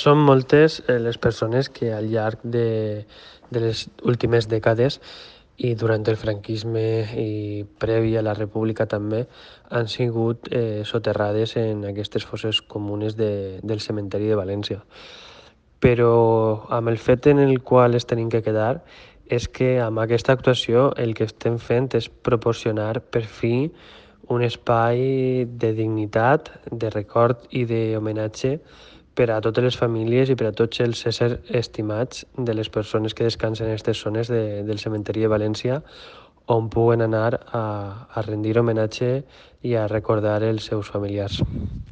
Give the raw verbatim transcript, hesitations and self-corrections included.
Són moltes eh, les persones que al llarg de, de les últimes dècades i durant el franquisme i previ a la república també han sigut eh, soterrades en aquestes fosses comunes de, del cementeri de València. Però amb el fet en el qual es tenim que quedar és que amb aquesta actuació el que estem fent és proporcionar per fi un espai de dignitat, de record i d'homenatge per a totes les famílies i per a tots els éssers estimats de les persones que descansen en aquestes zones de, del cementeri de València, on puguen anar a, a rendir homenatge i a recordar els seus familiars.